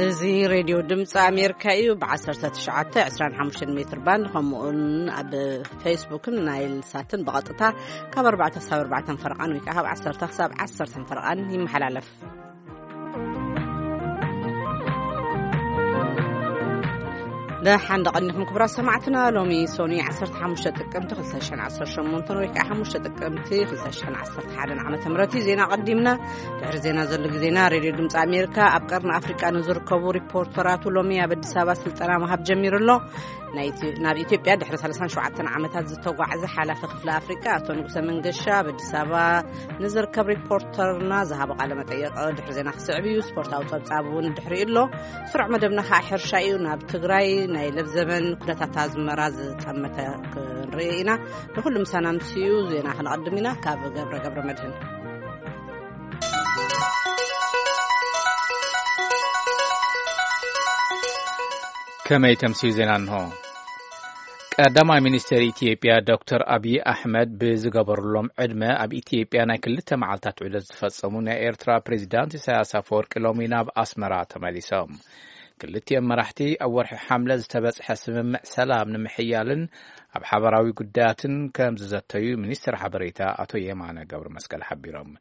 እዚ ሬድዮ ድምፂ ኣሜሪካ እዩ። ብ19፣ 25 ሜትር ባንድ፣ ከምኡውን ኣብ ፌስቡክን ናይል ሳትን ብቐጥታ ካብ ኣርባዕተ ክሳብ ኣርባዕተ ፈረቓን ወይ ከዓ ካብ ዓሰርተ ክሳብ ዓሰርተ ፈረቓን ይመሓላለፍ። ደሓን ደቐኒኹም ክቡራት ሰማዕትና። ሎሚ ሶኒ ዓሰርተ ሓሙሽተ ጥቅምቲ ክልተ ሽሕን ዓሰርተ ሸሞንተን ወይ ከዓ ሓሙሽተ ጥቅምቲ ክልተ ሽሕን ዓሰርተ ሓደን ዓመተ ምህረት እዩ። ዜና ቀዲምና። ድሕሪ ዜና ዘሎ ግዜና ሬድዮ ድምፂ ኣሜሪካ ኣብ ቀርኒ ኣፍሪቃ ንዝርከቡ ሪፖርተራቱ ሎሚ ኣብ ኣዲስ ኣበባ ስልጠና ምሃብ ጀሚሩ ኣሎ። ናይ ኢትዮ-፣ ናብ ኢትዮጵያ ድሕሪ ሰላሳን ሸውዓተን ዓመታት ዝተጓዕዘ ሓላፊ ክፍሊ ኣፍሪቃ ኣቶ ንጉሰ መንገሻ ኣብ ኣዲስ ኣበባ ንዝርከብ ሪፖርተርና ዝሃቦ ቃለ መጠይቕ ድሕሪ ዜና ክስዕብ እዩ። ስፖርታዊ ጸብጻብ እውን ድሕሪኡ ኣሎ። ስሩዕ መደብና ከዓ ሕርሻ እዩ። ናብ ትግራይ ናይ ለብዘበን ኩነታት ኣዝመራ ዝጠመተ ክንርኢ ኢና። ንኹሉ ምሳና ምስዩ ዜና ክንቐድም ኢና። ካብ ገብረ ገብረ መድህን። ከመይ ተምስዩ ዜና እንሆ። ቀዳማይ ሚኒስትር ኢትዮጵያ ዶክተር ኣብይ ኣሕመድ ብዝገበሩሎም ዕድመ ኣብ ኢትዮጵያ ናይ ክልተ መዓልታት ዑደት ዝፈጸሙ ናይ ኤርትራ ፕሬዚዳንት ኢሳያስ ኣፈወርቂ ሎሚ ናብ ኣስመራ ተመሊሶም። ክልቲኦም መራሕቲ ኣብ ወርሒ ሓምለ ዝተበጽሐ ስምምዕ ሰላም ንምሕያልን ኣብ ሓበራዊ ጉዳያትን ከም ዝዘተዩ ሚኒስትር ሓበሬታ ኣቶ የማነ ገብረ መስቀል ሓቢሮም።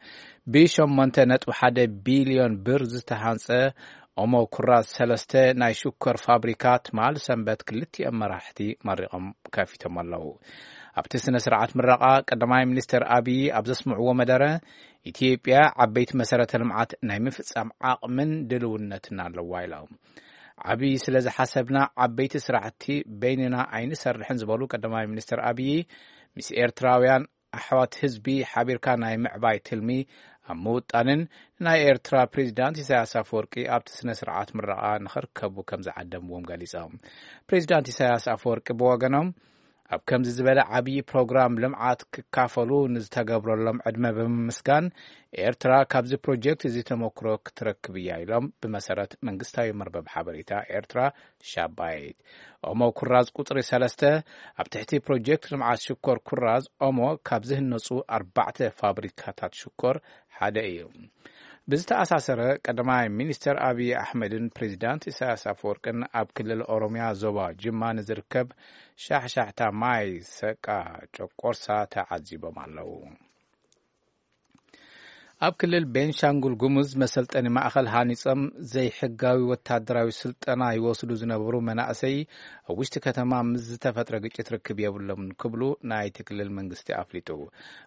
ብ8.1 ቢልዮን ብር ዝተሃንጸ ኦሞ ኩራዝ ሰለስተ ናይ ሽኮር ፋብሪካ ትማል ሰንበት ክልቲኦም መራሕቲ መሪቖም ከፊቶም ኣለዉ። ኣብቲ ስነ ስርዓት ምረቓ ቀዳማይ ሚኒስትር ኣብይ ኣብ ዘስምዕዎ መደረ፣ ኢትዮጵያ ዓበይቲ መሰረተ ልምዓት ናይ ምፍጻም ዓቕምን ድልውነትን ኣለዋ ኢሎም። ዓብዪ ስለ ዝሓሰብና ዓበይቲ ስራሕቲ በይንና ኣይንሰርሕን ዝበሉ ቀዳማይ ሚኒስትር ኣብይ፣ ምስ ኤርትራውያን ኣሕዋት ህዝቢ ሓቢርካ ናይ ምዕባይ ትልሚ ኣብ ምውጣንን ናይ ኤርትራ ፕሬዚዳንት ኢሳያስ ኣፈወርቂ ኣብቲ ስነ ስርዓት ምረቓ ንኽርከቡ ከም ዝዓደምዎም ገሊጾም። ፕሬዚዳንት ኢሳያስ ኣፈወርቂ ብወገኖም ኣብ ከምዚ ዝበለ ዓብዪ ፕሮግራም ልምዓት ክካፈሉ ንዝተገብረሎም ዕድመ ብምምስጋን፣ ኤርትራ ካብዚ ፕሮጀክት እዚ ተመክሮ ክትረክብ እያ ኢሎም። ብመሰረት መንግስታዊ መርበብ ሓበሬታ ኤርትራ ሻባይት፣ ኦሞ ኩራዝ ቁጽሪ ሰለስተ ኣብ ትሕቲ ፕሮጀክት ልምዓት ሽኮር ኩራዝ ኦሞ ካብ ዝህነጹ ኣርባዕተ ፋብሪካታት ሽኮር ሓደ እዩ። ብዝተኣሳሰረ፣ ቀዳማይ ሚኒስተር ኣብይ ኣሕመድን ፕሬዚዳንት ኢሳያስ ኣፈወርቅን ኣብ ክልል ኦሮሚያ ዞባ ጅማ ንዝርከብ ሻሕሻሕታ ማይ ሰቃ ጨቆርሳ ተዓዚቦም ኣለዉ። ኣብ ክልል ቤንሻንጉል ጉሙዝ መሰልጠኒ ማእኸል ሃኒጾም ዘይሕጋዊ ወታደራዊ ስልጠና ይወስዱ ዝነበሩ መናእሰይ ኣብ ውሽጢ ከተማ ምስ ዝተፈጥረ ግጭት ርክብ የብሎምን ክብሉ ናይቲ ክልል መንግስቲ ኣፍሊጡ።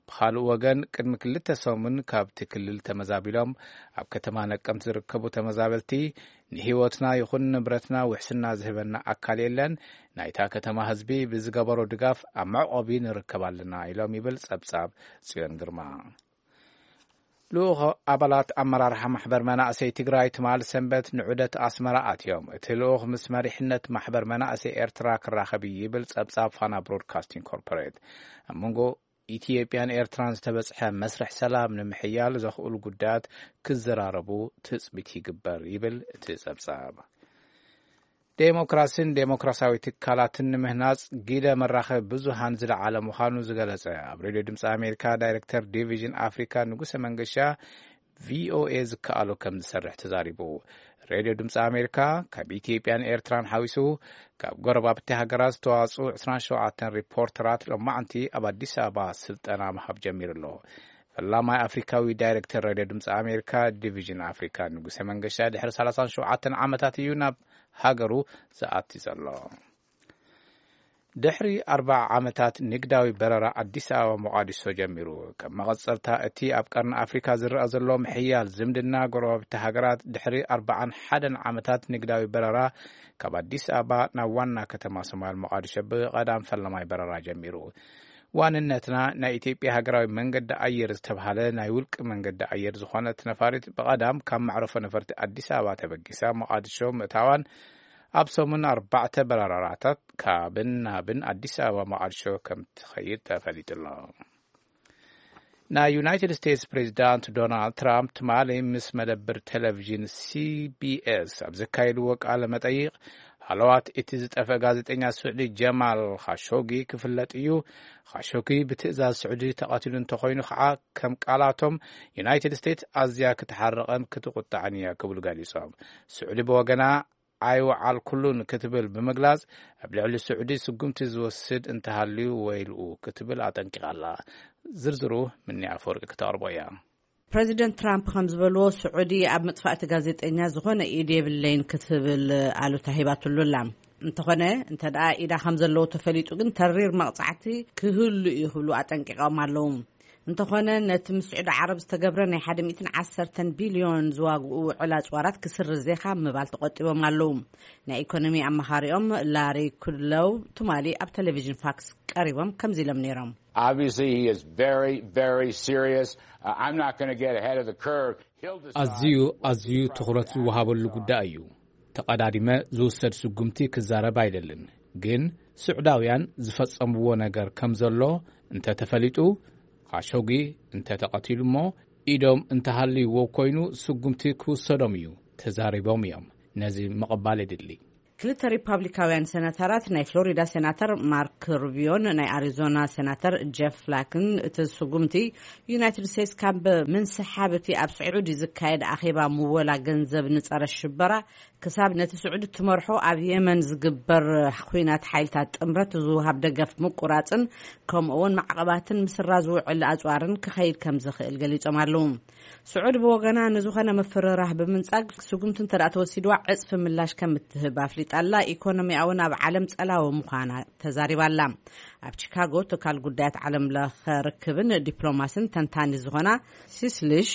ብኻልእ ወገን፣ ቅድሚ ክልተ ሰሙን ካብቲ ክልል ተመዛቢሎም ኣብ ከተማ ነቀምት ዝርከቡ ተመዛበልቲ፣ "ንህይወትና ይኹን ንብረትና ውሕስና ዝህበና ኣካል የለን፣ ናይታ ከተማ ህዝቢ ብዝገበሮ ድጋፍ ኣብ መዕቆቢ ንርከብ ኣለና" ኢሎም ይብል ጸብጻብ ጽዮን ግርማ። ልኡኽ ኣባላት ኣመራርሓ ማሕበር መናእሰይ ትግራይ ትማል ሰንበት ንዑደት ኣስመራ ኣትዮም። እቲ ልኡኽ ምስ መሪሕነት ማሕበር መናእሰይ ኤርትራ ክራኸብ እዩ ይብል ጸብጻብ ፋና ብሮድካስቲንግ ኮርፖሬት። ኣብ መንጎ ኢትዮጵያን ኤርትራን ዝተበጽሐ መስርሕ ሰላም ንምሕያል ዘኽእሉ ጉዳያት ክዘራረቡ ትጽቢት ይግበር ይብል እቲ ጸብጻብ። ዴሞክራሲን ዴሞክራሲያዊ ትካላትን ንምህናጽ ግደ መራኸቢ ብዙሃን ዝለዓለ ምዃኑ ዝገለጸ ኣብ ሬድዮ ድምፂ ኣሜሪካ ዳይሬክተር ዲቪዥን ኣፍሪካ ንጉሰ መንገሻ፣ ቪኦኤ ዝከኣሎ ከም ዝሰርሕ ተዛሪቡ። ሬድዮ ድምፂ ኣሜሪካ ካብ ኢትዮጵያን ኤርትራን ሓዊሱ ካብ ጎረባብቲ ሃገራት ዝተዋፅኡ ዕስራን ሸውዓተን ሪፖርተራት ሎማዕንቲ ኣብ ኣዲስ ኣበባ ስልጠና ምሃብ ጀሚሩ ኣሎ። ፈላማይ ኣፍሪካዊ ዳይሬክተር ሬድዮ ድምፂ ኣሜሪካ ዲቪዥን ኣፍሪካ ንጉሰ መንገሻ ድሕሪ ሰላሳን ሸውዓተን ዓመታት እዩ ናብ ሃገሩ ዝኣቲ ዘሎ። ድሕሪ ኣርባዓ ዓመታት ንግዳዊ በረራ ኣዲስ ኣበባ ሞቓዲሾ ጀሚሩ። ከም መቐጸልታ እቲ ኣብ ቀርኒ ኣፍሪካ ዝረኣ ዘሎ ምሕያል ዝምድና ጎረባብቲ ሃገራት፣ ድሕሪ ኣርባዓን ሓደን ዓመታት ንግዳዊ በረራ ካብ ኣዲስ ኣበባ ናብ ዋና ከተማ ሶማል ሞቓዲሾ ብቐዳም ፈለማይ በረራ ጀሚሩ። ዋንነትና ናይ ኢትዮጵያ ሃገራዊ መንገዲ ኣየር ዝተብሃለ ናይ ውልቂ መንገዲ ኣየር ዝኾነት ነፋሪት ብቐዳም ካብ መዕረፎ ነፈርቲ ኣዲስ ኣበባ ተበጊሳ ሞቓዲሾ ምእታዋን ኣብ ሰሙን ኣርባዕተ በረራታት ካብን ናብን ኣዲስ ኣበባ ሞቓዲሾ ከም ትኸይድ ተፈሊጡ ኣሎ። ናይ ዩናይትድ ስቴትስ ፕሬዚዳንት ዶናልድ ትራምፕ ትማሊ ምስ መደብር ቴሌቪዥን ሲቢኤስ ኣብ ዘካየድዎ ቃለ መጠይቕ፣ ሃለዋት እቲ ዝጠፍአ ጋዜጠኛ ስዑዲ ጀማል ኻሾጊ ክፍለጥ እዩ። ኻሾጊ ብትእዛዝ ስዑዲ ተቐቲሉ እንተኾይኑ ከዓ ከም ቃላቶም ዩናይትድ ስቴትስ ኣዝያ ክትሓርቐን ክትቁጣዕን እያ ክብሉ ገሊጾም። ስዑዲ ብወገና ኣይወዓልኩሉን ክትብል ብምግላጽ ኣብ ልዕሊ ስዑዲ ስጉምቲ ዝወስድ እንተሃልዩ ወይልኡ ክትብል ኣጠንቂቓ ኣላ። ዝርዝሩ ምኒ ኣፈወርቂ ክተቕርቦ እያ። ፕረዚደንት ትራምፕ ከም ዝበልዎ ስዑዲ ኣብ ምጥፋእቲ ጋዜጠኛ ዝኾነ ኢድ የብለይን ክትብል ኣሉታ ሂባትሉ ኣላ። እንተኾነ እንተ ደኣ ኢዳ ከም ዘለዎ ተፈሊጡ ግን ተሪር መቕጻዕቲ ክህሉ እዩ ክብሉ ኣጠንቂቖም ኣለዉ። እንተኾነ ነቲ ምስ ስዑዲ ዓረብ ዝተገብረ ናይ ሓደ ሚእትን ዓሰርተን ቢልዮን ዝዋግኡ ውዕል ኣጽዋራት ክስርዝ ዜኻ ምባል ተቖጢቦም ኣለዉ። ናይ ኢኮኖሚ ኣማኻሪኦም ላሪ ኩድለው ትማሊ ኣብ ቴሌቪዥን ፋክስ ቀሪቦም ከምዚ ኢሎም ነይሮም። Obviously, he is very, very serious. Uh, I'm not going to get ahead of the curve. He'll decide ኣዝዩ ኣዝዩ ትኹረት ዝወሃበሉ ጉዳይ እዩ። ተቐዳዲመ ዝውሰድ ስጉምቲ ክዛረብ ኣይደልን፣ ግን ስዑዳውያን ዝፈጸምዎ ነገር ከም ዘሎ እንተ ተፈሊጡ፣ ኻሾጊ እንተ ተቐቲሉ እሞ ኢዶም እንተሃልይዎ ኮይኑ ስጉምቲ ክውሰዶም እዩ። ተዛሪቦም እዮም። ነዚ ምቕባል የድሊ። ክልተ ሪፓብሊካውያን ሴናተራት፣ ናይ ፍሎሪዳ ሴናተር ማርክ ሩቢዮን ናይ ኣሪዞና ሴናተር ጀፍ ፍላክን፣ እቲ ስጉምቲ ዩናይትድ ስቴትስ ካብ ምንስሓብ እቲ ኣብ ስዑዲ ዝካየድ ኣኼባ ምወላ ገንዘብ ንጸረ ሽበራ ክሳብ ነቲ ስዑዲ ትመርሖ ኣብ የመን ዝግበር ኲናት ሓይልታት ጥምረት ዝወሃብ ደገፍ ምቁራጽን ከምኡ እውን ማዕቐባትን ምስራ ዝውዕል ኣጽዋርን ክኸይድ ከም ዝኽእል ገሊጾም ኣለዉ። ስዑዲ ብወገና ንዝኾነ ምፍርራህ ብምንጻግ ስጉምቲ እንተ ደኣ ተወሲድዋ ዕጽፊ ምላሽ ከም እትህብ ኣፍሊጣ ኣላ። ኢኮኖሚኣ እውን ኣብ ዓለም ጸላዊ ምዃና ተዛሪባ ኣላ። ኣብ ቺካጎ ትካል ጉዳያት ዓለም ለኸ ርክብን ዲፕሎማስን ተንታኒ ዝኾና ሲስልሽ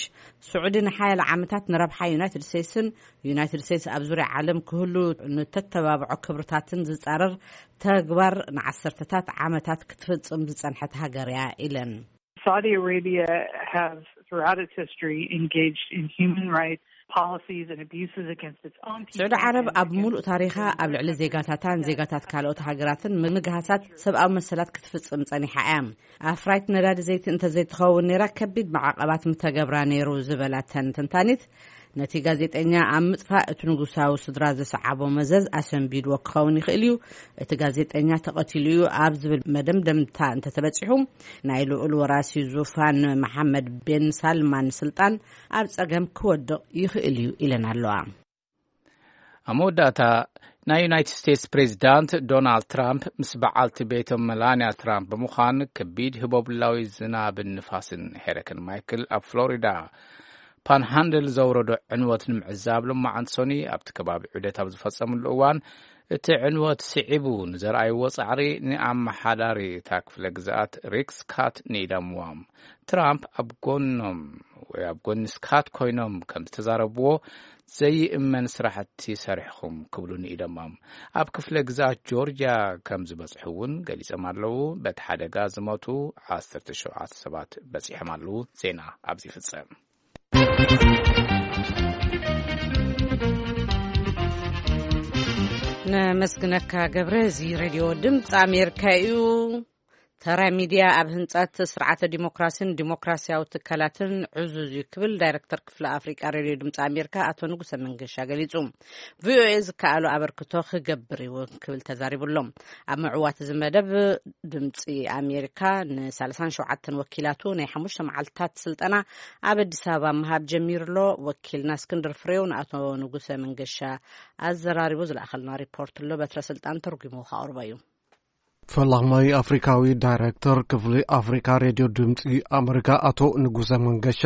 ስዑዲ ንሓያለ ዓመታት ንረብሓ ዩናይትድ ስቴትስን ዩናይትድ ስቴትስ ኣብ ዙርያ ዓለም ክህሉ ንተተባብዖ ክብርታትን ዝጻረር ተግባር ንዓሰርተታት ዓመታት ክትፍጽም ዝጸንሐት ሃገር እያ ኢለን። Saudi Arabia has, throughout its history, engaged in human rights policies and abuses against its own people. ስዑዲ ዓረብ ኣብ ሙሉእ ታሪኻ ኣብ ልዕሊ ዜጋታታን ዜጋታት ካልኦት ሃገራትን ምግሃሳት ሰብኣዊ መሰላት ክትፍጽም ጸኒሓ እያ። ኣፍራይት ነዳዲ ዘይቲ እንተዘይትኸውን ነይራ ከቢድ መዓቐባት ምተገብራ ነይሩ ዝበላ እተን ተንታኒት፣ ነቲ ጋዜጠኛ ኣብ ምጥፋእ እቲ ንጉሳዊ ስድራ ዘሰዓቦ መዘዝ ኣሰንቢድዎ ክኸውን ይኽእል እዩ። እቲ ጋዜጠኛ ተቐቲሉ እዩ ኣብ ዝብል መደምደምታ እንተተበጺሑ፣ ናይ ልዑል ወራሲ ዙፋን መሓመድ ቤን ሳልማን ስልጣን ኣብ ጸገም ክወድቕ ይኽእል እዩ ኢለን ኣለዋ። ኣብ መወዳእታ፣ ናይ ዩናይትድ ስቴትስ ፕሬዚዳንት ዶናልድ ትራምፕ ምስ በዓልቲ ቤቶም መላንያ ትራምፕ ብምዃን ከቢድ ህቦብላዊ ዝናብን ንፋስን ሄረከን ማይክል ኣብ ፍሎሪዳ ፓንሃንድል ዘውረዶ ዕንወት ንምዕዛብ፣ ሎማዓንቲ ሰኑይ ኣብቲ ከባቢ ዑደት ኣብ ዝፈጸምሉ እዋን፣ እቲ ዕንወት ስዒቡ ንዘርኣይዎ ጻዕሪ ንኣመሓዳሪ እታ ክፍለ ግዝኣት ሪክ ስካት ንኢዶምዎም። ትራምፕ ኣብ ጎኖም ወይ ኣብ ጎኒ ስካት ኮይኖም ከም ዝተዛረብዎ፣ ዘይእመን ስራሕቲ ሰሪሕኹም ክብሉ ንኢዶሞም። ኣብ ክፍለ ግዝኣት ጆርጅያ ከም ዝበጽሑ እውን ገሊጾም ኣለዉ። በቲ ሓደጋ ዝሞቱ ዓሰርተ ሸውዓተ ሰባት በጺሖም ኣለዉ። ዜና ኣብዚ ይፍጸም። ነመስግነካ ገብረ። እዚ ሬድዮ ድምፂ ኣሜሪካ እዩ። ተራ ሚድያ ኣብ ህንፀት ስርዓተ ዲሞክራሲን ዲሞክራሲያዊ ትካላትን ዕዙዝ እዩ ክብል ዳይሬክተር ክፍሊ ኣፍሪቃ ሬድዮ ድምፂ ኣሜሪካ ኣቶ ንጉሰ መንገሻ ገሊፁ። ቪኦኤ ዝከኣሎ ኣበርክቶ ክገብር እዩ ክብል ተዛሪቡ ኣሎ። ኣብ ምዕዋት እዚ መደብ ድምፂ ኣሜሪካ ን ሰላሳን ሸውዓተን ወኪላቱ ናይ ሓሙሽተ መዓልትታት ስልጠና ኣብ ኣዲስ ኣበባ ምሃብ ጀሚሩ ኣሎ። ወኪልና እስክንድር ፍሬው ንኣቶ ንጉሰ መንገሻ ኣዘራሪቡ ዝለኣኸልና ሪፖርት ኣሎ። በትረ ስልጣን ተርጉሙ ከቕርቦ እዩ። ፈላማይ ኣፍሪካዊ ዳይሬክተር ክፍሊ ኣፍሪካ ሬድዮ ድምፂ ኣመሪካ ኣቶ ንጉሰ መንገሻ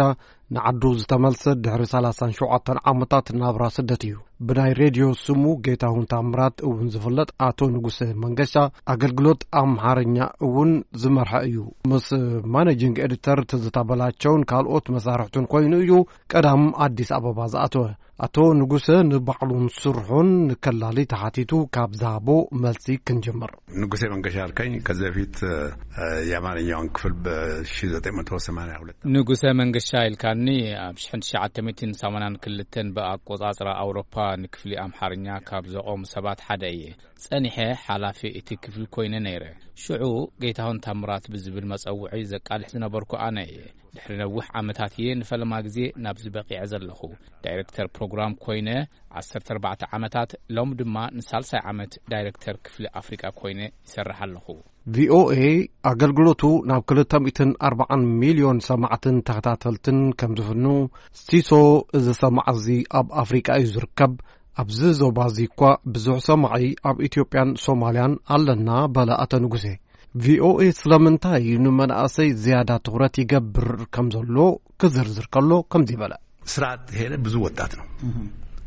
ንዓዱ ዝተመልሰ ድሕሪ ሰላሳን ሸውዓተን ዓመታት ናብራ ስደት እዩ። ብናይ ሬድዮ ስሙ ጌታሁን ታምራት እውን ዝፍለጥ ኣቶ ንጉሰ መንገሻ ኣገልግሎት ኣምሓርኛ እውን ዝመርሐ እዩ። ምስ ማኔጂንግ ኤዲተር ትዝታ በላቸውን ካልኦት መሳርሕቱን ኮይኑ እዩ ቀዳም ኣዲስ ኣበባ ዝኣተወ። ኣቶ ንጉሰ ንባዕሉን ስርሑን ንከላሊ ተሓቲቱ ካብ ዝሃቦ መልሲ ክንጅምር። ንጉሴ መንገሻ አልከኝ። ከዚህ በፊት የአማርኛውን ክፍል በ ሺህ ዘጠኝ መቶ ሰማንያ ሁለት ንጉሰ መንገሻ ኢልካኒ። ኣብ ሽሕን ትሽዓተ ሚእትን ሰማንያን ክልተን ብኣቆጻጽራ ኣውሮፓ ንክፍሊ ኣምሓርኛ ካብ ዘቖሙ ሰባት ሓደ እየ። ጸኒሐ ሓላፊ እቲ ክፍሊ ኮይነ ነይረ። ሽዑ ጌታሁን ታምራት ብዝብል መጸውዒ ዘቃልሕ ዝነበርኩ ኣነ እየ። ድሕሪ ነዊሕ ዓመታት እየ ንፈለማ ግዜ ናብዚ በቒዐ ዘለኹ። ዳይሬክተር ፕሮግራም ኮይነ ዓሰርተ ኣርባዕተ ዓመታት፣ ሎም ድማ ንሳልሳይ ዓመት ዳይሬክተር ክፍሊ ኣፍሪቃ ኮይነ ይሰርሕ ኣለኹ። ቪኦኤ ኣገልግሎቱ ናብ ክልተ ሚእትን ኣርባዓን ሚልዮን ሰማዕትን ተኸታተልትን ከም ዝፍኑ፣ ሲሶ እዚ ሰማዕ እዚ ኣብ ኣፍሪቃ እዩ ዝርከብ። ኣብዚ ዞባ እዚ እኳ ብዙሕ ሰማዒ ኣብ ኢትዮጵያን ሶማልያን ኣለና፣ በለ ኣቶ ንጉሴ። ቪኦኤ ስለምንታይ እዩ ንመናእሰይ ዝያዳ ትኹረት ይገብር ከም ዘሎ ክዝርዝር ከሎ ከምዚ በለ። ስራ ያልሄደ ብዙ ወጣት ነው።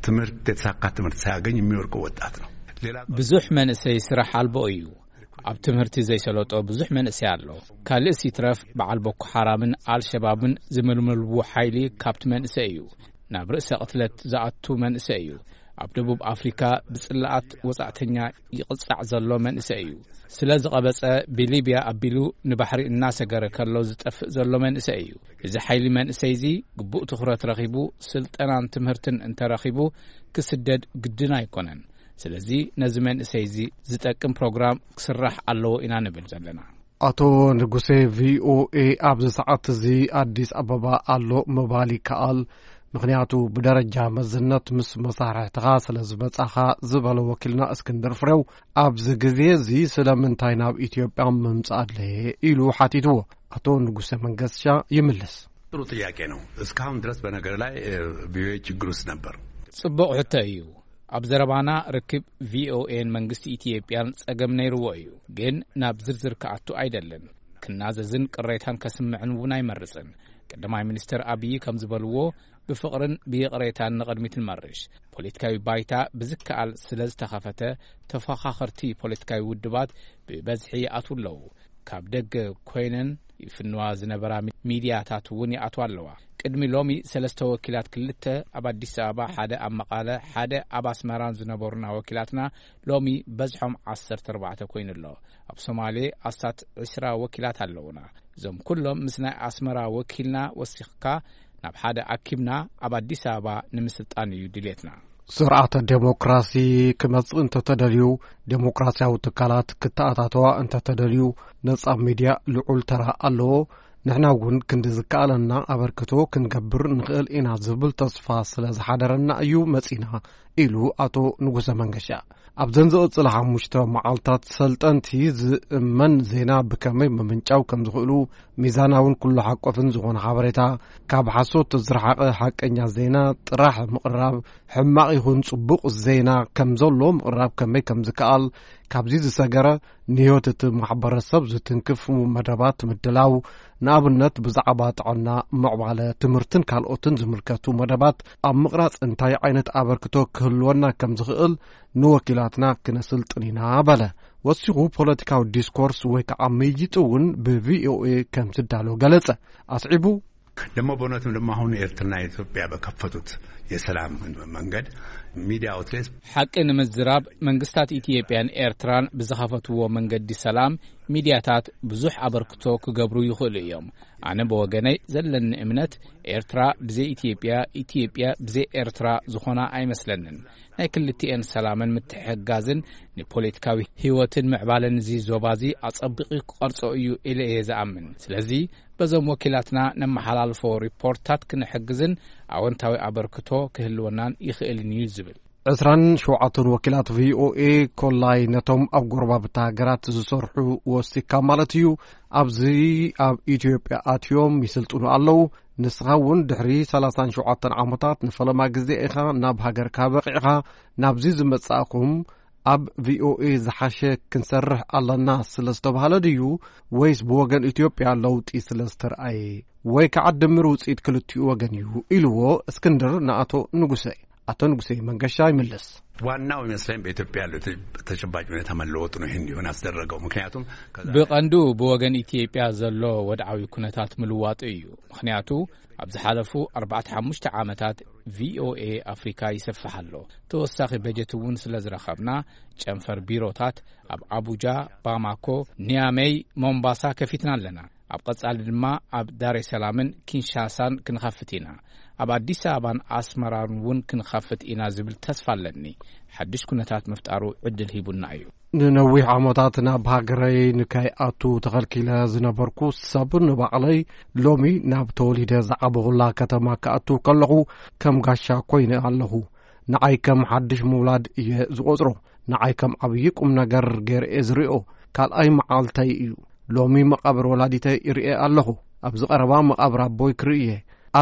ትምህርት፣ የተሳካ ትምህርት ሳያገኝ የሚወድቀው ወጣት ነው። ሌላ ብዙሕ መንእሰይ ስራሕ ኣልቦ እዩ። ኣብ ትምህርቲ ዘይሰለጦ ብዙሕ መንእሰይ ኣሎ። ካልእስ ይትረፍ በዓል ቦኮ ሓራምን ኣልሸባብን ዝምልምልዎ ሓይሊ ካብቲ መንእሰይ እዩ። ናብ ርእሰ ቅትለት ዝኣቱ መንእሰይ እዩ። ኣብ ደቡብ ኣፍሪካ ብጽላኣት ወጻእተኛ ይቕጻዕ ዘሎ መንእሰይ እዩ። ስለ ዝቐበጸ ብሊብያ ኣቢሉ ንባሕሪ እናሰገረ ከሎ ዝጠፍእ ዘሎ መንእሰይ እዩ። እዚ ሓይሊ መንእሰይ እዚ ግቡእ ትኹረት ረኺቡ ስልጠናን ትምህርትን እንተረኺቡ ክስደድ ግድን ኣይኮነን። ስለዚ ነዚ መንእሰይ እዚ ዝጠቅም ፕሮግራም ክስራሕ ኣለዎ ኢና ንብል ዘለና። ኣቶ ንጉሴ ቪኦኤ ኣብዚ ሰዓት እዚ ኣዲስ ኣበባ ኣሎ ምባል ይከኣል። ምኽንያቱ ብደረጃ መዝነት ምስ መሳርሕትኻ ስለ ዝመጻኻ ዝበለ ወኪልና እስክንድር ፍሬው፣ ኣብዚ ግዜ እዚ ስለምንታይ ናብ ኢትዮጵያ ምምጻእ ኣድለየ ኢሉ ሓቲትዎ። ኣቶ ንጉሰ መንገሻ ይምልስ። ጥሩ ጥያቄ ነው። እስካሁን ድረስ በነገር ላይ ቪኦኤ ችግር ውስጥ ነበር። ጽቡቕ ሕቶ እዩ። ኣብ ዘረባና ርክብ ቪኦኤን መንግስቲ ኢትዮጵያን ጸገም ነይርዎ እዩ። ግን ናብ ዝርዝር ክኣቱ ኣይደልን። ክናዘዝን ቅሬታን ከስምዕን እውን ኣይመርጽን። ቀዳማይ ሚኒስትር ኣብይ ከም ዝበልዎ፣ ብፍቕርን ብይቕሬታን ንቕድሚት ንመርሽ። ፖለቲካዊ ባይታ ብዝከኣል ስለ ዝተኸፈተ፣ ተፎኻኸርቲ ፖለቲካዊ ውድባት ብበዝሒ ይኣትዉ ኣለዉ። ካብ ደገ ኮይነን ይፍንዋ ዝነበራ ሚ-፣ ሚድያታት እውን ይኣትዋ ኣለዋ። ቅድሚ ሎሚ ሰለስተ ወኪላት፣ ክልተ ኣብ ኣዲስ ኣበባ፣ ሓደ ኣብ መቐለ፣ ሓደ ኣብ ኣስመራን ዝነበሩና ወኪላትና ሎሚ በዝሖም ዓሰርተ ኣርባዕተ ኮይኑ ኣሎ። ኣብ ሶማሌ ኣስታት ዕስራ ወኪላት ኣለዉና። እዞም ኩሎም ምስ ናይ ኣስመራ ወኪልና ወሲኽካ ናብ ሓደ ኣኪብና ኣብ ኣዲስ ኣበባ ንምስልጣን እዩ ድሌትና። ስርዓተ ዴሞክራሲ ክመጽእ እንተተደልዩ፣ ዴሞክራሲያዊ ትካላት ክተኣታተዋ እንተተደልዩ፣ ነጻ ሚድያ ልዑል ተራ ኣለዎ። ንሕና እውን ክንዲ ዝከኣለና ኣበርክቶ ክንገብር ንኽእል ኢና ዝብል ተስፋ ስለ ዝሓደረና እዩ መጺና፣ ኢሉ ኣቶ ንጉሰ መንገሻ። ኣብዘን ዝቕጽላ ሓሙሽተ መዓልታት ሰልጠንቲ ዝእመን ዜና ብከመይ ምምንጫው ከም ዝኽእሉ፣ ሚዛናውን ኩሉ ሓቆፍን ዝኾነ ሓበሬታ፣ ካብ ሓሶት ዝረሓቐ ሓቀኛ ዜና ጥራሕ ምቕራብ፣ ሕማቕ ይኹን ጽቡቕ ዜና ከም ዘሎ ምቕራብ ከመይ ከም ዝከኣል፣ ካብዚ ዝሰገረ ንህይወት እቲ ማሕበረሰብ ዝትንክፍ መደባት ምድላው፣ ንኣብነት ብዛዕባ ጥዕና፣ ምዕባለ፣ ትምህርትን ካልኦትን ዝምልከቱ መደባት ኣብ ምቕራጽ እንታይ ዓይነት ኣበርክቶ ክህልወና ከም ዝኽእል ንወኪላትና ክነስልጥን ኢና በለ። ወሲኹ ፖለቲካዊ ዲስኮርስ ወይ ከዓ ምይይጥ እውን ብቪኦኤ ከም ዝዳሎ ገለጸ። ኣስዒቡ፣ ደግሞ በእውነትም ደግሞ አሁን ኤርትራና ኢትዮጵያ በከፈቱት የሰላም መንገድ ሚዲያ ኣውትሌት ሓቂ ንምዝራብ መንግስታት ኢትዮጵያን ኤርትራን ብዝኸፈትዎ መንገዲ ሰላም ሚዲያታት ብዙሕ ኣበርክቶ ክገብሩ ይኽእሉ እዮም። ኣነ ብወገነይ ዘለኒ እምነት ኤርትራ ብዘይ ኢትዮጵያ፣ ኢትዮጵያ ብዘይ ኤርትራ ዝኾና ኣይመስለንን። ናይ ክልቲኤን ሰላምን ምትሕግጋዝን ንፖለቲካዊ ህይወትን ምዕባለን እዚ ዞባ እዚ ኣጸቢቑ ክቐርጾ እዩ ኢለ እየ ዝኣምን። ስለዚ በዞም ወኪላትና ነመሓላልፎ ሪፖርታት ክንሕግዝን ኣወንታዊ ኣበርክቶ ክህልወናን ይኽእልን እዩ ዝብል። ዕስራን ሸውዓተን ወኪላት ቪኦኤ ኮላይ ነቶም ኣብ ጎረባብቲ ሃገራት ዝሰርሑ ወሲካ ማለት እዩ፣ ኣብዚ ኣብ ኢትዮጵያ ኣትዮም ይስልጥኑ ኣለዉ። ንስኻ እውን ድሕሪ ሰላሳን ሸውዓተን ዓመታት ንፈለማ ግዜ ኢኻ ናብ ሃገርካ በቒዕኻ። ናብዚ ዝመጻእኩም ኣብ ቪኦኤ ዝሓሸ ክንሰርሕ ኣለና ስለ ዝተባህለ ድዩ፣ ወይስ ብወገን ኢትዮጵያ ለውጢ ስለ ዝተርኣየ፣ ወይ ከዓ ድምር ውጽኢት ክልቲኡ ወገን እዩ ኢልዎ እስክንድር ንኣቶ ንጉሰ። ኣቶ ንጉሰ መንገሻ ይምልስ። ዋናው ይመስለኝ በኢትዮጵያ ያለው ተጨባጭ ሁኔታ መለወጡ ነው ይህን እንዲሆን ያስደረገው። ምክንያቱም ከዛ ብቐንዱ ብወገን ኢትዮጵያ ዘሎ ወድዓዊ ኩነታት ምልዋጡ እዩ። ምክንያቱ ኣብ ዝሓለፉ ኣርባዕተ ሓሙሽተ ዓመታት ቪኦኤ ኣፍሪካ ይሰፍሕ ኣሎ። ተወሳኺ በጀት እውን ስለ ዝረኸብና ጨንፈር ቢሮታት ኣብ ኣቡጃ፣ ባማኮ፣ ኒያሜይ፣ ሞምባሳ ከፊትና ኣለና። ኣብ ቀጻሊ ድማ ኣብ ዳሬ ሰላምን ኪንሻሳን ክንኸፍት ኢና። ኣብ ኣዲስ ኣበባን ኣስመራን እውን ክንኸፍት ኢና ዝብል ተስፋ ኣለኒ። ሓድሽ ኩነታት ምፍጣሩ ዕድል ሂቡና እዩ። ንነዊሕ ዓመታት ናብ ሃገረይ ንከይኣቱ ተኸልኪለ ዝነበርኩ ሰብ፣ ንባዕለይ ሎሚ ናብ ተወሊደ ዝዓበኹላ ከተማ ክኣቱ ከለኹ ከም ጋሻ ኮይነ ኣለኹ። ንዓይ ከም ሓድሽ ምውላድ እየ ዝቖጽሮ። ንዓይ ከም ዓብዪ ቁም ነገር ገይረ እየ ዝሪኦ። ካልኣይ መዓልተይ እዩ። ሎሚ መቓብር ወላዲተይ ይርኤ ኣለኹ። ኣብዚ ቀረባ መቓብር ኣቦይ ክርኢ እየ።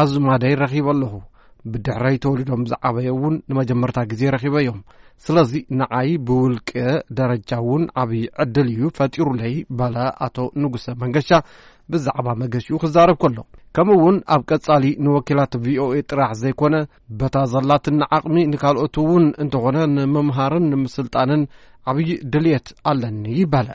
ኣዝማደይ ረኺበ ኣለኹ። ብድሕረይ ተወሊዶም ዝዓበየ እውን ንመጀመርታ ግዜ ረኺበዮም። ስለዚ ንዓይ ብውልቂ ደረጃ እውን ዓብዪ ዕድል እዩ ፈጢሩለይ፣ በለ ኣቶ ንጉሰ መንገሻ ብዛዕባ መገሽኡ ክዛረብ ከሎ። ከምኡ እውን ኣብ ቀጻሊ ንወኪላት ቪኦኤ ጥራሕ ዘይኮነ፣ በታ ዘላትና ዓቕሚ ንካልኦት እውን እንተኾነ ንምምሃርን ንምስልጣንን ዓብዪ ድልየት ኣለኒ፣ በለ።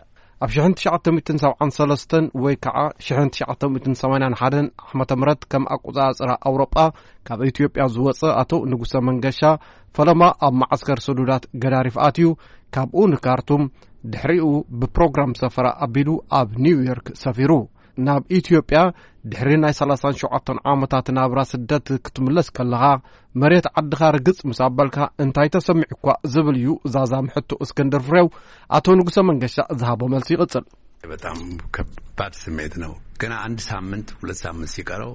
ኣብ ሽሕን ትሽዓተ ሚእትን ሰብዓን ሰለስተን ወይ ከዓ ሽሕን ትሽዓተ ሚእትን ሰማንያን ሓደን ዓመተ ምህረት ከም ኣቆጻጽራ ኣውሮጳ ካብ ኢትዮጵያ ዝወጸ ኣቶ ንጉሰ መንገሻ፣ ፈለማ ኣብ መዓስከር ስዱዳት ገዳሪፍ ኣትዩ፣ ካብኡ ንካርቱም፣ ድሕሪኡ ብፕሮግራም ሰፈራ ኣቢሉ ኣብ ኒውዮርክ ሰፊሩ። ናብ ኢትዮጵያ ድሕሪ ናይ ሰላሳን ሸውዓተን ዓመታት ናብራ ስደት ክትምለስ ከለኻ፣ መሬት ዓድኻ ርግጽ ምስ ኣበልካ እንታይ ተሰሚዑኳ ዝብል እዩ ዛዛም ሕቶ እስክንድር ፍሬው ኣቶ ንጉሰ መንገሻ ዝሃቦ መልሲ ይቕጽል። በጣም ከባድ ስሜት ነው። ገና አንድ ሳምንት፣ ሁለት ሳምንት ሲቀረው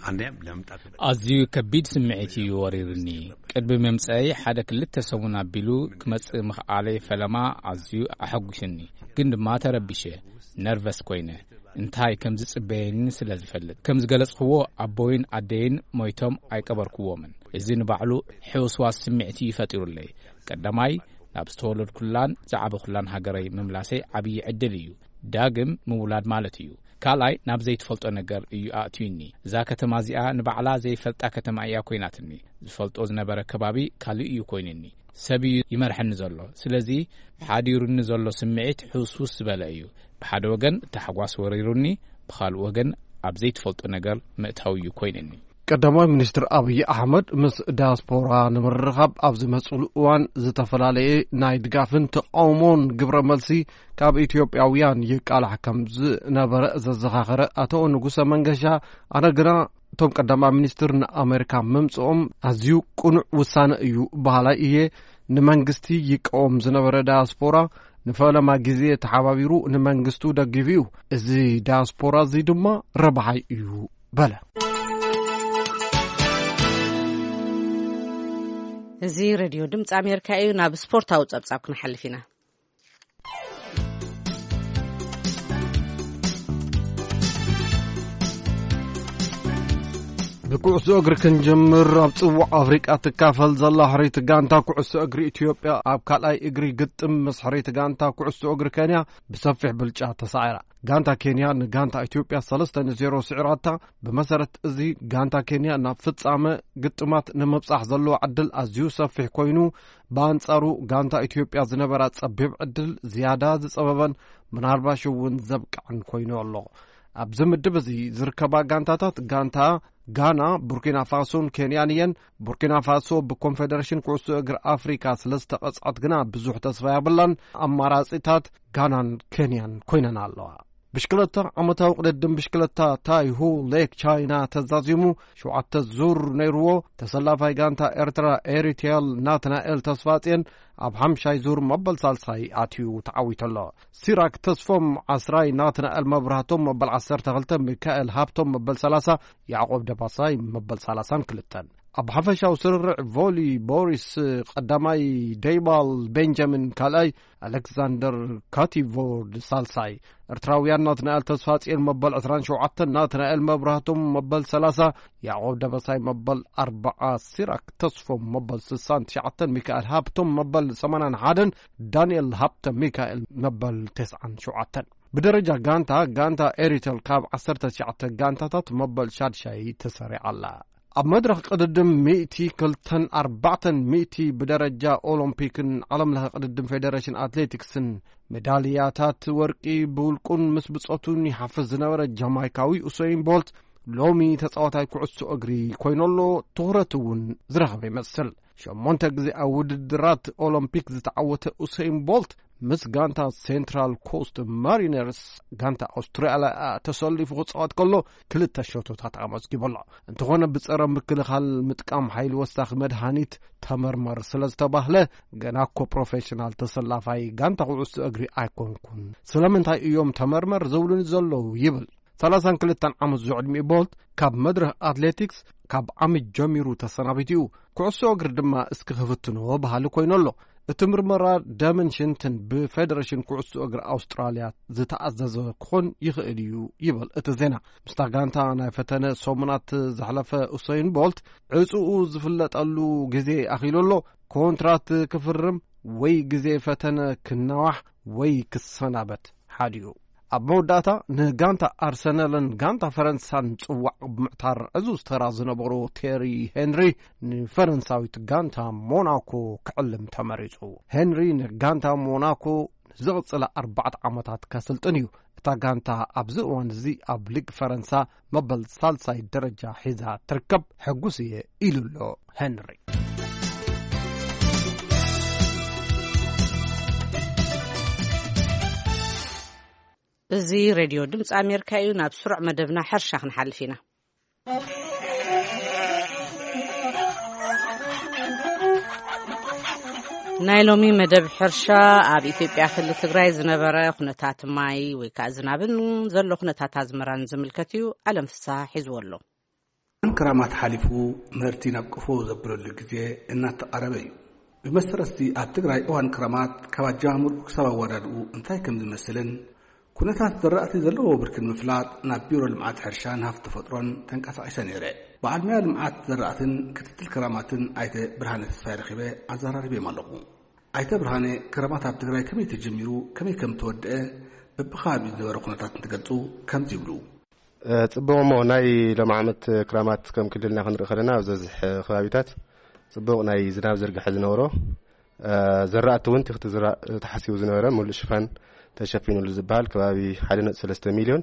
አንደኛም ለመምጣት ኣዝዩ ከቢድ ስምዒት እዩ ወሪርኒ። ቅድሚ ምምጸይ ሓደ ክልተ ሰሙን ኣቢሉ ክመጽእ ምኽኣለይ ፈለማ ኣዝዩ ኣሐጉሽኒ። ግን ድማ ተረቢሸ፣ ነርቨስ ኮይነ። እንታይ ከም ዝጽበየኒ ስለ ዝፈልጥ። ከም ዝገለጽክዎ ኣቦይን ኣደይን ሞይቶም ኣይቀበርክዎምን። እዚ ንባዕሉ ሕውስዋስ ስምዒት እዩ ፈጢሩለይ። ቀዳማይ ናብ ዝተወለድኩላን ዝዓበኹላን ሃገረይ ምምላሰይ ዓብዪ ዕድል እዩ። ዳግም ምውላድ ማለት እዩ። ካልኣይ ናብ ዘይትፈልጦ ነገር እዩ ኣእትዩኒ። እዛ ከተማ እዚኣ ንባዕላ ዘይፈልጣ ከተማ እያ ኮይናትኒ። ዝፈልጦ ዝነበረ ከባቢ ካልእ እዩ ኮይኑኒ። ሰብ እዩ ይመርሐኒ ዘሎ። ስለዚ ሓዲሩኒ ዘሎ ስምዒት ሕውስውስ ዝበለ እዩ። ብሓደ ወገን ታሕጓስ ወሪሩኒ፣ ብኻልእ ወገን ኣብ ዘይትፈልጦ ነገር ምእታው እዩ ኮይኑኒ። ቀዳማይ ሚኒስትር ኣብይ ኣሕመድ ምስ ዳያስፖራ ንምርኻብ ኣብ ዝመጽሉ እዋን ዝተፈላለየ ናይ ድጋፍን ተቃውሞን ግብረ መልሲ ካብ ኢትዮጵያውያን ይቃላሕ ከም ዝነበረ ዘዘኻኸረ ኣቶ ንጉሰ መንገሻ፣ ኣነ ግና እቶም ቀዳማይ ሚኒስትር ንኣሜሪካ ምምጽኦም ኣዝዩ ቅኑዕ ውሳነ እዩ በሃላይ እየ። ንመንግስቲ ይቃወም ዝነበረ ዳያስፖራ ንፈለማ ግዜ ተሓባቢሩ ንመንግስቱ ደጊፉ እዩ። እዚ ዳያስፖራ እዚ ድማ ረብሓይ እዩ በለ። እዚ ሬድዮ ድምፂ ኣሜሪካ እዩ። ናብ ስፖርታዊ ጸብጻብ ክንሓልፍ ኢና። ብኩዕሶ እግሪ ክንጅምር፣ ኣብ ጽዋዕ ኣፍሪቃ ትካፈል ዘላ ሕርይቲ ጋንታ ኩዕሶ እግሪ ኢትዮጵያ ኣብ ካልኣይ እግሪ ግጥም ምስ ሕርይቲ ጋንታ ኩዕሶ እግሪ ኬንያ ብሰፊሕ ብልጫ ተሳዒራ። ጋንታ ኬንያ ንጋንታ ኢትዮጵያ ሰለስተ ንዜሮ ስዒራታ። ብመሰረት እዚ፣ ጋንታ ኬንያ ናብ ፍጻመ ግጥማት ንምብጻሕ ዘለዎ ዕድል ኣዝዩ ሰፊሕ ኮይኑ፣ ብኣንጻሩ ጋንታ ኢትዮጵያ ዝነበራ ጸቢብ ዕድል ዝያዳ ዝጸበበን ምናልባሽ እውን ዘብቅዕን ኮይኑ ኣሎ። ኣብዚ ምድብ እዚ ዝርከባ ጋንታታት፣ ጋንታ ጋና፣ ቡርኪና ፋሶን ኬንያን እየን። ቡርኪና ፋሶ ብኮንፌደሬሽን ኩዕሶ እግሪ ኣፍሪካ ስለ ዝተቐጽዐት ግና ብዙሕ ተስፋ የብላን። ኣማራጺታት ጋናን ኬንያን ኮይነን ኣለዋ። ብሽክለታ፣ ዓመታዊ ቅድድም ብሽክለታ ታይሁ ሌክ ቻይና ተዛዚሙ ሸውዓተ ዙር ነይርዎ። ተሰላፋይ ጋንታ ኤርትራ ኤሪቴል ናትናኤል ተስፋጽዮን ኣብ ሓምሻይ ዙር መበል ሳልሳይ ኣትዩ ተዓዊቱ ኣሎ። ሲራክ ተስፎም ዓስራይ፣ ናትናኤል መብራህቶም መበል ዓሰርተ ክልተ፣ ሚካኤል ሃብቶም መበል ሰላሳ፣ ያዕቆብ ደባሳይ መበል ሰላሳን ክልተን። ኣብ ሓፈሻዊ ስርርዕ ቮሊ፣ ቦሪስ ቀዳማይ፣ ደይባል ቤንጃሚን ካልኣይ፣ ኣሌክሳንደር ካቲቮርድ ሳልሳይ። ኤርትራውያን ናትናኤል ተስፋጽዮን መበል ዕስራን ሸውዓተን፣ ናትናኤል መብራህቶም መበል ሰላሳ፣ ያዕቆብ ደበሳይ መበል ኣርባዓ፣ ሲራክ ተስፎም መበል ስሳን ትሽዓተን፣ ሚካኤል ሃብቶም መበል ሰማንያን ሓደን፣ ዳንኤል ሃብተ ሚካኤል መበል ተስዓን ሸውዓተን። ብደረጃ ጋንታ፣ ጋንታ ኤሪተል ካብ ዓሰርተ ትሽዓተ ጋንታታት መበል ሻድሻይ ተሰሪዓ ኣላ። ኣብ መድረኽ ቅድድም ሚእቲ፣ ክልተን ኣርባዕተን ሚእቲ ብደረጃ ኦሎምፒክን ዓለምለኸ ቅድድም ፌደሬሽን ኣትሌቲክስን፣ ሜዳልያታት ወርቂ ብውልቁን ምስ ብጾቱን ይሓፍስ ዝነበረ ጃማይካዊ ኡሰይን ቦልት፣ ሎሚ ተጻዋታይ ኩዕሶ እግሪ ኮይኑ ኣሎ። ትኹረት እውን ዝረኸበ ይመስል። ሸሞንተ ግዜ ኣብ ውድድራት ኦሎምፒክ ዝተዓወተ ኡሰይን ቦልት፣ ምስ ጋንታ ሴንትራል ኮስት ማሪነርስ፣ ጋንታ ኣውስትራልያ፣ ተሰሊፉ ክጻወት ከሎ ክልተ ሸቶታት ኣመዝጊቡ ኣሎ። እንተኾነ ብጸረ ምክልኻል ምጥቃም ሓይሊ ወሳኺ መድሃኒት ተመርመር ስለ ዝተባህለ፣ ገና እኮ ፕሮፌሽናል ተሰላፋይ ጋንታ ኩዕሶ እግሪ ኣይኮንኩን፣ ስለምንታይ እዮም ተመርመር ዝብሉኒ ዘለዉ? ይብል። ሰላሳን ክልተን ዓመት ዝዕድሚኡ ቦልት ካብ መድረኽ ኣትሌቲክስ ካብ ዓሚ ጀሚሩ ተሰናቢቱ እዩ። ኩዕሶ እግሪ ድማ እስኪ ክፍትኖ በሃሊ ኮይኑ ኣሎ። እቲ ምርመራ ደምን ሽንትን ብፌደሬሽን ኩዕሶ እግሪ ኣውስትራልያ ዝተኣዘዘ ክኾን ይኽእል እዩ ይብል እቲ ዜና። ምስታ ጋንታ ናይ ፈተነ ሰሙናት ዘሕለፈ ኡሰይን ቦልት ዕጽኡ ዝፍለጠሉ ግዜ ኣኺሉ ኣሎ። ኮንትራት ክፍርም ወይ ግዜ ፈተነ ክናዋሕ ወይ ክሰናበት ሓዲኡ። ኣብ መወዳእታ ንጋንታ ኣርሰናልን ጋንታ ፈረንሳን ጽዋዕ ብምዕታር ዕዙዝ ተራ ዝነበሮ ቴሪ ሄንሪ ንፈረንሳዊት ጋንታ ሞናኮ ክዕልም ተመሪጹ። ሄንሪ ንጋንታ ሞናኮ ንዝቕጽላ ኣርባዕተ ዓመታት ከስልጥን እዩ። እታ ጋንታ ኣብዚ እዋን እዚ ኣብ ሊግ ፈረንሳ መበል ሳልሳይ ደረጃ ሒዛ ትርከብ። ሕጉስ እየ ኢሉ ኣሎ ሄንሪ። እዚ ሬድዮ ድምፂ ኣሜሪካ እዩ። ናብ ስሩዕ መደብና ሕርሻ ክንሓልፍ ኢና። ናይ ሎሚ መደብ ሕርሻ ኣብ ኢትዮጵያ ክልል ትግራይ ዝነበረ ኩነታት ማይ ወይ ከዓ ዝናብን ዘሎ ኩነታት ኣዝመራን ዝምልከት እዩ። ኣለም ፍስሃ ሒዝዎ ኣሎ። እዋን ክራማት ሓሊፉ ምህርቲ ናብ ቀፎ ዘብለሉ ግዜ እናተቓረበ እዩ። ብመሰረት እዚ ኣብ ትግራይ እዋን ክራማት ካብ ኣጀማምርኡ ክሳብ ኣወዳድኡ እንታይ ከም ዝመስልን ኩነታት ዘራእቲ ዘለዎ ብርኪ ንምፍላጥ ናብ ቢሮ ልምዓት ሕርሻን ሃፍቲ ተፈጥሮን ተንቀሳቒሰ ነይረ። በዓል ሞያ ልምዓት ዘራእትን ክትትል ክራማትን ኣይተ ብርሃነ ተስፋይ ረኺበ ኣዘራሪበዮም ኣለኹ። ኣይተ ብርሃነ ክራማት ኣብ ትግራይ ከመይ ተጀሚሩ ከመይ ከም ተወደአ በብኸባቢኡ ዝነበረ ኩነታት እንትገልፁ ከምዚ ይብሉ። እ፣ ጽቡቕ እሞ ናይ ሎም ዓመት ክራማት ከም ክልልና ክንርኢ ከለና ኣብ ዝበዝሕ ከባቢታት ጽቡቕ ናይ ዝናብ ዝርግሐ ዝነበሮ፣ እ፣ ዘራእቲ እውን ትኽቲ ዝራ-፣ ተሓሲቡ ዝነበረ ሙሉእ ሽፋን ተሸፊኑሉ ዝበሃል ከባቢ ሓደ ነጥቢ ሰለስተ ሚልዮን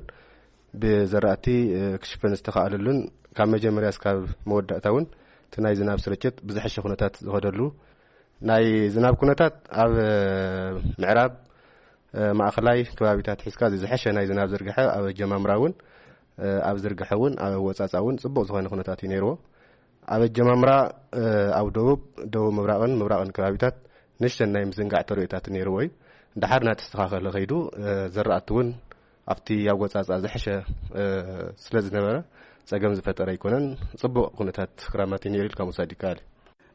ብዘራእቲ፣ እ፣ ክሽፈን ዝተኻኣለሉን ካብ መጀመርያ እስካብ መወዳእታ እውን እቲ ናይ ዝናብ ስርጭት ብዝሐሸ ኩነታት ዝኸደሉ ናይ ዝናብ ኩነታት ኣብ፣ እ፣ ምዕራብ፣ እ፣ ማእኸላይ ከባቢታት ሒዝካ እዚ ዝሐሸ ናይ ዝናብ ዝርግሐ ኣብ ኣጀማምራ እውን፣ እ፣ ኣብ ዝርግሐ እውን ኣብ ኣወፃፃ እውን ፅቡቕ ዝኾነ ኩነታት እዩ ነይርዎ። ኣብ ኣጀማምራ፣ እ፣ ኣብ ደቡብ፣ ደቡብ ምብራቕን ምብራቕን ከባቢታት ንእሽተን ናይ ምዝንጋዕ ተርእዮታት ነይርዎ እዩ። ድሓር እናተስተኻኸለ ከይዱ፣ እ፣ ዘራእቲ እውን ኣብቲ ኣወፃፃ ዝሐሸ፣ እ፣ ስለ ዝነበረ ፀገም ዝፈጠረ ኣይኮነን። ፅቡቕ ኩነታት ክራማት እዩ ነይሩ ኢልካ ምውሳድ ይከኣል እዩ።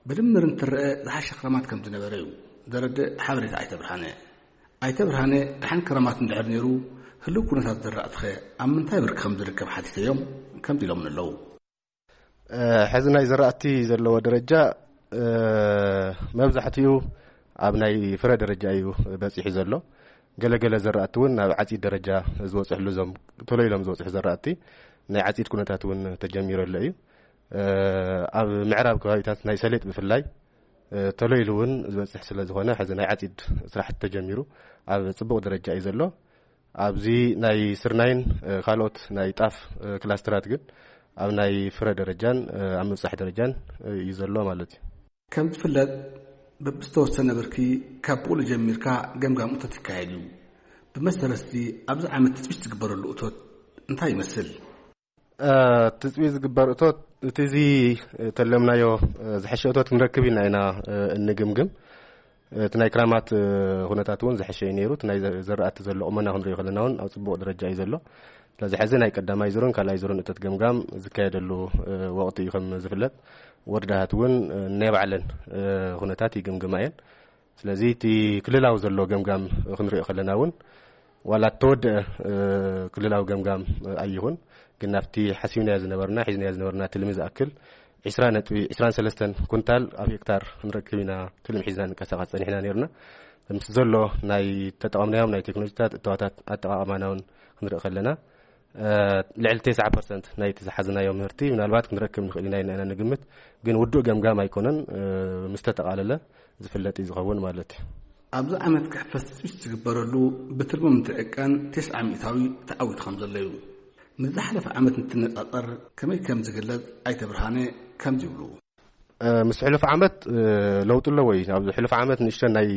ብድምር እንትረአ ዝሓሸ ክራማት ከም ዝነበረ እዩ ዘረድእ ሓበሬታ ኣይተ ብርሃነ። ኣይተ ብርሃነ ደሓን ክራማት እንድሕር ነይሩ ህልው ኩነታት ዘራእትኸ ኣብ ምንታይ ብርኪ ከም ዝርከብ ሓቲተዮም ከምዚ ኢሎምን ኣለዉ። እ፣ ሕዚ ናይ ዘራእቲ ዘለዎ ደረጃ፣ እ፣ መብዛሕትኡ ኣብ ናይ ፍረ ደረጃ እዩ በፂሑ ዘሎ። ገለገለ ዘራእቲ እውን ናብ ዓፂድ ደረጃ ዝበፅሕሉ እዞም ቶሎ ኢሎም ዝበፅሑ ዘራእቲ ናይ ዓፂድ ኩነታት እውን ተጀሚሩ ኣሎ እዩ። እ፣ ኣብ ምዕራብ ከባቢታት ናይ ሰሌጥ ብፍላይ፣ እ፣ ቶሎ ኢሉ እውን ዝበፅሕ ስለ ዝኾነ ሕዚ ናይ ዓፂድ ስራሕቲ ተጀሚሩ ኣብ ፅቡቕ ደረጃ እዩ ዘሎ። ኣብዚ ናይ ስርናይን፣ እ፣ ካልኦት ናይ ጣፍ፣ እ፣ ክላስተራት ግን ኣብ ናይ ፍረ ደረጃን፣ እ፣ ኣብ ምብፃሕ ደረጃን፣ እ፣ እዩ ዘሎ ማለት እዩ። ከም ዝፍለጥ በብዝተወሰነ ብርኪ ካብ ብቑሉ ጀሚርካ ገምጋም እቶት ይካየድ እዩ። ብመሰረት እዚ ኣብዚ ዓመት ትፅቢት ዝግበረሉ እቶት እንታይ ይመስል? እ፣ ትፅቢት ዝግበር እቶት እቲ እዚ ተለምናዮ፣ እ፣ ዝሐሸ እቶት ክንረክብ ኢና ኢና፣ እ፣ እንግምግም። እቲ ናይ ክራማት፣ እ፣ ኩነታት እውን ዝሐሸ እዩ ነይሩ። እቲ ናይ ዘ-፣ ዘራእቲ ዘሎ ቁመና ክንሪኦ ከለና እውን ኣብ ፅቡቕ ደረጃ እዩ ዘሎ። ስለዚ ሕዚ ናይ ቀዳማይ ዙርን ካልኣይ ዙርን እቶት ገምጋም ዝካየደሉ፣ እ፣ ወቕቲ እዩ። ከም ዝፍለጥ ወረዳታት እውን፣ እ፣ ናይ ባዕለን፣ እ፣ ኩነታት ይግምግማ እየን። ስለዚ እቲ ክልላዊ ዘሎ ገምጋም ክንሪኦ ከለና እውን ዋላ እተወደአ፣ እ፣ ክልላዊ ገምጋም፣ እ፣ ኣይኹን፣ ግን ናብቲ ሓሲብናዮ ዝነበርና ሒዝናዮ ዝነበርና ትልሚ ዝኣክል ዒስራ ነጥቢ ዒስራን ሰለስተን ኩንታል ኣብ ሄክታር ክንረክብ ኢና ትልሚ ሒዝና ንቀሳቐስ ጸኒሕና ነይርና። ምስ ዘሎ ናይ ተጠቐምናዮም ናይ ቴክኖሎጂታት እተዋታት ኣጠቓቕማና እውን ክንርኢ ከለና፣ እ፣ ልዕሊ ተስዓ ፐርሰንት ናይቲ ዝሓዝናዮ ምህርቲ ምናልባት ክንረክብ ንኽእል ኢና ኢልና ኢና ንግምት። ግን ውዱእ ገምጋም ኣይኮነን፣ እ፣ ምስ ተጠቓለለ ዝፍለጥ እዩ ዝኸውን ማለት እዩ። ኣብዚ ዓመት ክሕፈስ ትፅቢት ዝግበረሉ ብትልሚ ምትዕቃን ተስዓ ሚእታዊ ተዓዊቱ ከም ዘሎ እዩ ምስ ዝሓለፈ ዓመት እንትነፃፀር ከመይ ከም ዝግለፅ ኣይተ ብርሃነ ከምዚ ይብሉ። እ፣ ምስ ሕሉፍ ዓመት፣ እ፣ ለውጢ ኣለዎ እዩ። ኣብዚ ሕሉፍ ዓመት ንእሽተን ናይ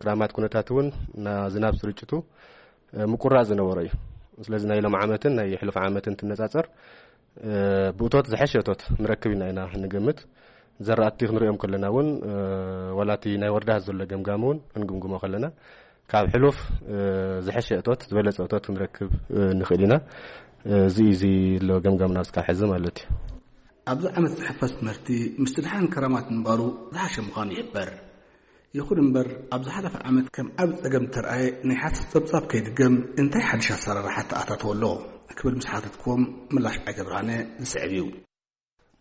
ክራማት ኩነታት እውን፣ ና-፣ ዝናብ ስርጭቱ፣ እ፣ ምቁራጽ ዝነበሮ እዩ። ስለዚ ናይ ሎም ዓመትን ናይ ሕሉፍ ዓመትን ትነጻጸር፣ እ፣ ብእቶት ዝሐሸ እቶት ንረክብ ኢና ኢና ንገምት። ዘራእቲ ክንሪኦም ከለና እውን፣ እ፣ ዋላ እቲ ናይ ወረዳ ዘሎ ገምጋም እውን ክንግምግሞ ከለና፣ ካብ ሕሉፍ፣ እ፣ ዝሐሸ እቶት፣ ዝበለጸ እቶት ክንረክብ፣ እ፣ ንኽእል ኢና። እ፣ እዚ እዩ እዚ ኣሎ ገምጋምና እስካብ ሕዚ ማለት እዩ። ኣብዚ ዓመት ዝሕፈስ ትምህርቲ ምስቲ ድሓን ከረማት ምንባሩ ዝሓሸ ምዃኑ ይሕበር። ይኹን እምበር፣ ኣብ ዝሓለፈ ዓመት ከም ዓቢ ጸገም እተርኣየ ናይ ሓሰር ጸብጻብ ከይድገም እንታይ ሓድሽ ኣሰራርሓ ተኣታተወ ኣሎ ክብል ምስ ሓተትክዎም፣ ምላሽ ኣይተ ብርሃነ ዝስዕብ እዩ።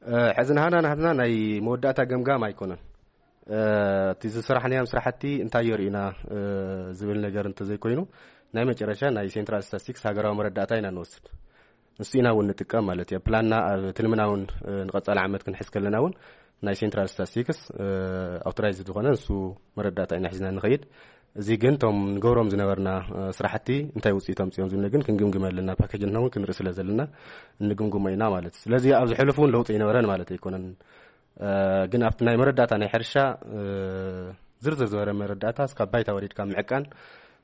እ፣ ሕዚ ናህና ናህትና ናይ መወዳእታ ገምጋም ኣይኮነን። እ፣ እቲ ዝሰራሕናዮም ስራሕቲ እንታይ የርእዩና፣ እ፣ ዝብል ነገር እንተዘይኮይኑ፣ ናይ መጨረሻ ናይ ሴንትራል ስታስቲክስ ሃገራዊ መረዳእታ ኢና ንወስድ። ንሱ ኢና እውን ንጥቀም ማለት እዩ። ፕላንና ኣብ ትልምና እውን፣ እ፣ ንቐጻሊ ዓመት ክንሕዝ ከለና እውን ናይ ሴንትራል ስታስቲክስ፣ እ፣ ኣውቶራይዝድ ዝኾነ ንሱ መረዳእታ ኢና ሒዝና ንኸይድ። እዚ ግን እቶም ንገብሮም ዝነበርና፣ እ፣ ስራሕቲ እንታይ ውፅኢት ኣምፅኦም ዝብል ግን ክንግምግም ኣለና። ፓኬጅ ንሕና እውን ክንርኢ ስለ ዘለና እንግምግሞ ኢና ማለት እዩ። ስለዚ ኣብዚ ሕሉፍ እውን ለውጢ ኣይነበረን ማለት ኣይኮነን። እ፣ ግን ኣብቲ ናይ መረዳእታ ናይ ሕርሻ፣ እ፣ ዝርዝር ዝበረ መረዳእታ እስካብ ባይታ ወሪድካ ምዕቃን፣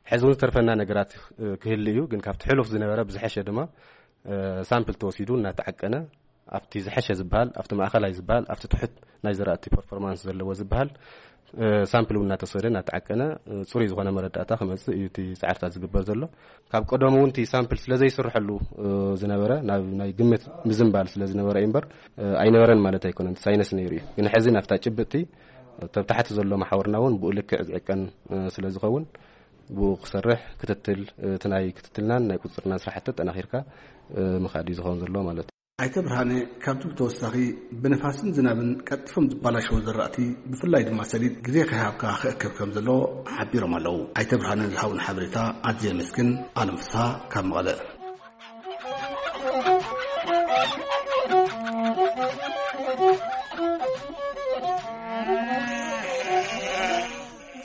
ሕዚ እውን ዝተርፈና ነገራት፣ እ፣ ክህሉ እዩ። ግን ካብቲ ሕሉፍ ዝነበረ ብዝሐሸ ድማ፣ እ፣ ሳምፕል ተወሲዱ እናተዓቀነ፣ ኣብቲ ዝሐሸ ዝበሃል፣ ኣብቲ ማእኸላይ ዝበሃል፣ ኣብቲ ትሑት ናይ ዘራእቲ ፐርፎርማንስ ዘለዎ ዝበሃል፣ እ፣ ሳምፕል እውን እናተወሰደ እናተዓቀነ፣ እ፣ ፅሩይ ዝኾነ መረዳእታ ክመፅእ እዩ እቲ ፃዕርታት ዝግበር ዘሎ። ካብ ቀደሙ እውን እቲ ሳምፕል ስለ ዘይስርሐሉ፣ እ፣ ዝነበረ፣ ናብ ናይ ግምት ምዝንባል ስለ ዝነበረ እዩ እምበር፣ እ፣ ኣይነበረን ማለት ኣይኮነን። እቲ ሳይንስ ነይሩ እዩ። ግን ሕዚ ናብታ ጭብጥቲ፣ ተብ ታሕቲ ዘሎ መሓውርና እውን ብኡ ልክዕ ዝዕቀን፣ እ፣ ስለ ዝኸውን፣ ብኡ ክሰርሕ ክትትል፣ እ፣ እቲ ናይ ክትትልናን ናይ ቁፅፅርናን ስራሕቲ ኣጠናኺርካ፣ እ፣ ምኻድ እዩ ዝኸውን ዘሎ ማለት እዩ። ኣይተ ብርሃነ ካብዚ ብተወሳኺ ብንፋስን ዝናብን ቀልጢፎም ዝበላሸዉ ዝራእቲ፣ ብፍላይ ድማ ሰሊጥ ግዜ ከይሃብካ ክእከብ ከም ዘለዎ ሓቢሮም ኣለዉ። ኣይተ ብርሃነ ዝሃቡን ሓበሬታ ኣዝየ የመስግን። ኣለም ፍስሃ ካብ መቐለ።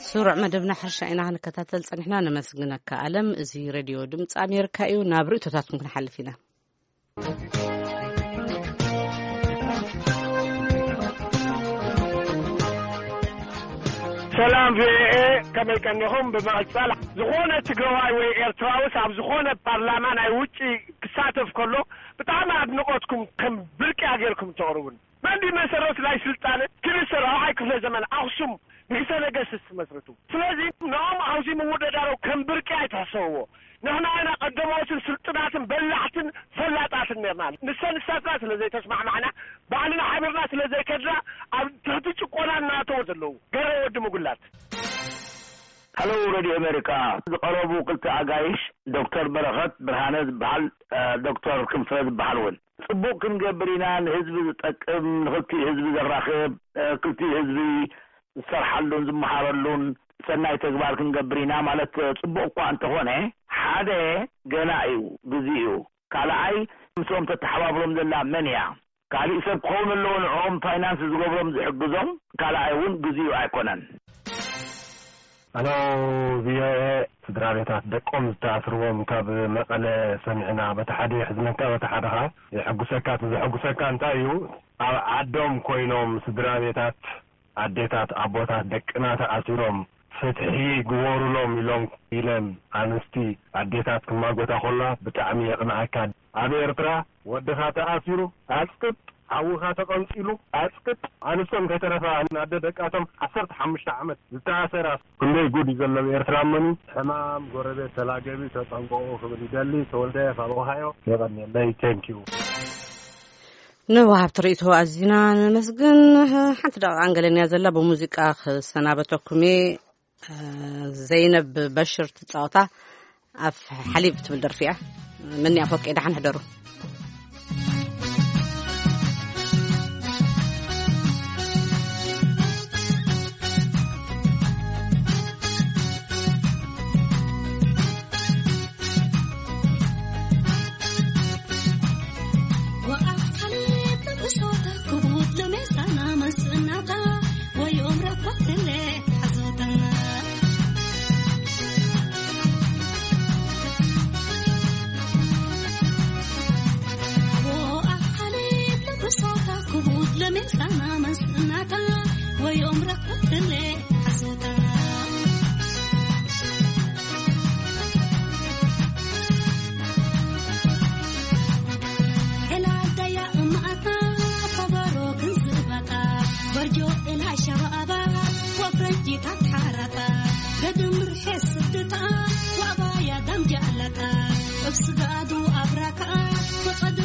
ስሩዕ መደብና ሕርሻ ኢና ክንከታተል ጸኒሕና። ነመስግነካ ኣለም። እዚ ሬድዮ ድምፂ ኣሜሪካ እዩ። ናብ ርእቶታትኩም ክንሓልፍ ኢና። ሰላም ቪኦኤ፣ ከመይ ቀኒኹም? ብምቕጻል ዝኾነ ትግራዋይ ወይ ኤርትራውስ ኣብ ዝኾነ ፓርላማ ናይ ውጪ ክሳተፍ ከሎ ብጣዕሚ ኣድንቖትኩም ከም ብርቅያ ጌርኩም ተቕርቡን። መን ድዩ መሰረት ናይ ስልጣነ ክልተ ራብዓይ ክፍለ ዘመን ኣኽሱም ንግሰ ነገስት መስርቱ? ስለዚ ንኦም ኣብዚ ምውደዳሮ ከም ብርቂ ኣይትሕሰብዎ። ንሕና ኢና ቀደሞትን ስልጡናትን በላሕትን ፈላጣትን ነርና። ንሰን ንሳትና ስለ ዘይተስማዕማዕና፣ ባዕልና ሓቢርና ስለ ዘይከድና፣ ኣብ ትሕቲ ጭቆና እናተወ ዘለዉ ገረ ወዲ ምጉላት። ሃሎ ሬድዮ ኣሜሪካ፣ ዝቐረቡ ክልተ ኣጋይሽ ዶክተር በረኸት ብርሃነ ዝበሃል፣ እ፣ ዶክተር ክንፈ ዝበሃል እውን ጽቡቕ ክንገብር ኢና፣ ንህዝቢ ዝጠቅም፣ ንክልቲኡ ህዝቢ ዘራኽብ፣ እ፣ ክልቲኡ ህዝቢ ዝሰርሓሉን ዝመሃረሉን ሰናይ ተግባር ክንገብር ኢና ማለት ጽቡቕ እኳ እንተኾነ፣ ሓደ ገና እዩ፣ ግዜ እዩ። ካልኣይ ምስኦም ተተሓባብሮም ዘላ መን እያ? ካሊእ ሰብ ክኸውን ኣለዎ ንዕኦም ፋይናንስ ዝገብሮም ዝሕግዞም፣ ካልኣይ እውን ግዜኡ ኣይኮነን። ኣሎ ቪኦኤ፣ ስድራ ቤታት ደቆም ዝተኣስርዎም ካብ መቐለ ሰሚዕና፣ በቲ ሓደ የሕዝነካ፣ በቲ ሓደ ኸዓ የሐጉሰካ። እቲ ዘሐጉሰካ እንታይ እዩ? ኣብ ዓዶም ኮይኖም ስድራ ቤታት፣ ኣዴታት፣ ኣቦታት ደቅና ተኣሲሮም ፍትሒ ግበሩሎም ኢሎም፣ ኢለን ኣንስቲ ኣዴታት ክማጎታ ከላ ብጣዕሚ የቕንኣካ። ኣብ ኤርትራ ወድኻ ተኣሲሩ ኣጽቅጥ፣ ሓውኻ ተቐንጺሉ ኣጽቅጥ፣ ኣንስቶም ከይተረፋ ኣደ ደቃቶም ዓሰርተ ሓሙሽተ ዓመት ዝተኣሰራ። ክንደይ ጉድ እዩ ዘሎ ኣብ ኤርትራ እመኑ። ሕማም ጎረቤት ተላገቢ ተጠንቀቑ ክብል ይደሊ። ተወልደ ካብ ኦሃዮ። የቐንየለይ። ቴንኪዩ። ንወሃብቲ ርእይቶ ኣዚና ነመስግን። ሓንቲ ደቂቃ እንገለንያ ዘላ ብሙዚቃ ክሰናበተኩም እየ። ዘይነብ በሽር ትጻወታ ኣፍ ሓሊብ ትብል ደርፊ እያ። መን እያ ፎቄ? ደሓን ሕደሩ። ከኣ ብቐዶ